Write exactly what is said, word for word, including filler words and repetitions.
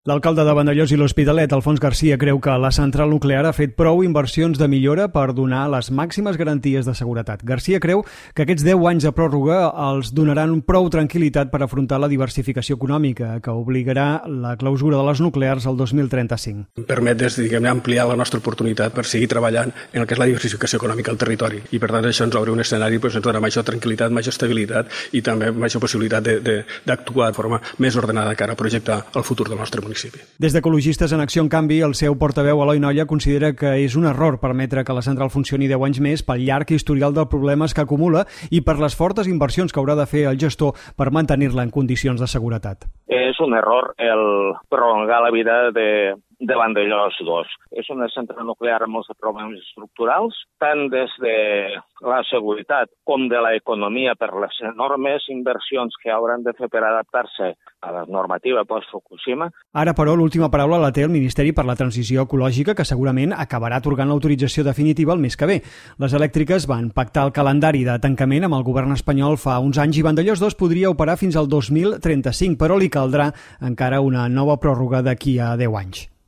L'alcalde de Vandellòs i l'Hospitalet, Alfons Garcia, creu que la central nuclear ha fet prou inversions de millora per donar les màximes garanties de seguretat. Garcia creu que aquests deu anys de pròrroga els donaran prou tranquil·litat per afrontar la diversificació econòmica, que obligarà la clausura de les nuclears el dos mil trenta-cinc. Permet des, diguem, ampliar la nostra oportunitat per seguir treballant en el que és la diversificació econòmica al territori. I per tant això ens obre un escenari, doncs, ens dona major tranquil·litat, major estabilitat i també major possibilitat d'actuar de, de, de forma més ordenada cara a projectar el futur del nostre municipi. Des d'Ecologistes en Acció, en canvi, el seu portaveu Eloi Nolla considera que és un error permetre que la central funcioni deu anys més pel llarg historial de problemes que acumula i per les fortes inversions que haurà de fer el gestor per mantenir-la en condicions de seguretat. És un error el prolongar la vida de, de Vandellòs dos. És una central nuclear amb molts problemes estructurals, tant des de la seguretat com de l'economia per les enormes inversions que hauran de fer per adaptar-se a la normativa post-Fukushima. Ara, però, l'última paraula la té el Ministeri per la Transició Ecològica, que segurament acabarà atorgant l'autorització definitiva el mes que ve. Les elèctriques van pactar el calendari de tancament amb el govern espanyol fa uns anys i Vandellòs dos podria operar fins al dos mil trenta-cinc, però li caldrà encara una nova pròrroga d'aquí a deu anys.